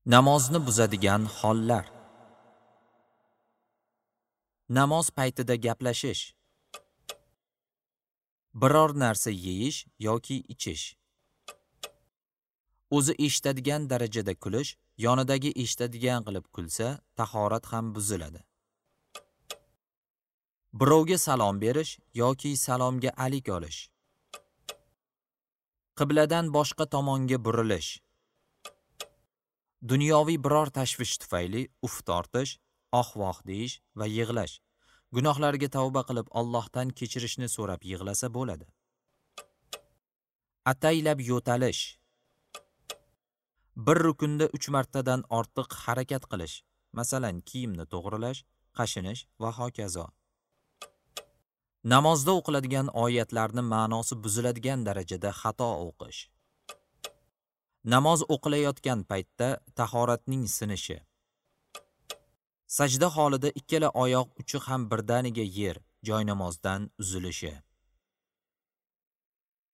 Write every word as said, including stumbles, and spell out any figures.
Namozni buzadigan hollar. Namoz paytida gaplashish. Biror narsa yeyish yoki ichish. O'zi eshitadigan darajada kulish, yonidagi eshitadigan qilib kulsa, tahorat ham buziladi. Birovga salom berish yoki salomga alik olish. Qibladan boshqa tomonga burilish. Dunyoviy biror tashvish tufayli uf tortish, oh-voh deyish va yig'lash. Gunohlarga tavba qilib Allohdan kechirishni so'rab yig'lasa bo'ladi. Ataylab yo'talish. Bir rukunda uch martadan ortiq harakat qilish, masalan, kiyimni to'g'rilash, qashinish va hokazo. Namozda o'qiladigan oyatlarning ma'nosi buziladigan darajada xato o'qish. Namoz o'qilayotgan paytda tahoratning sinishi. Sajda holida ikkala oyoq uchi ham birdaniga yer, joy namozdan uzilishi.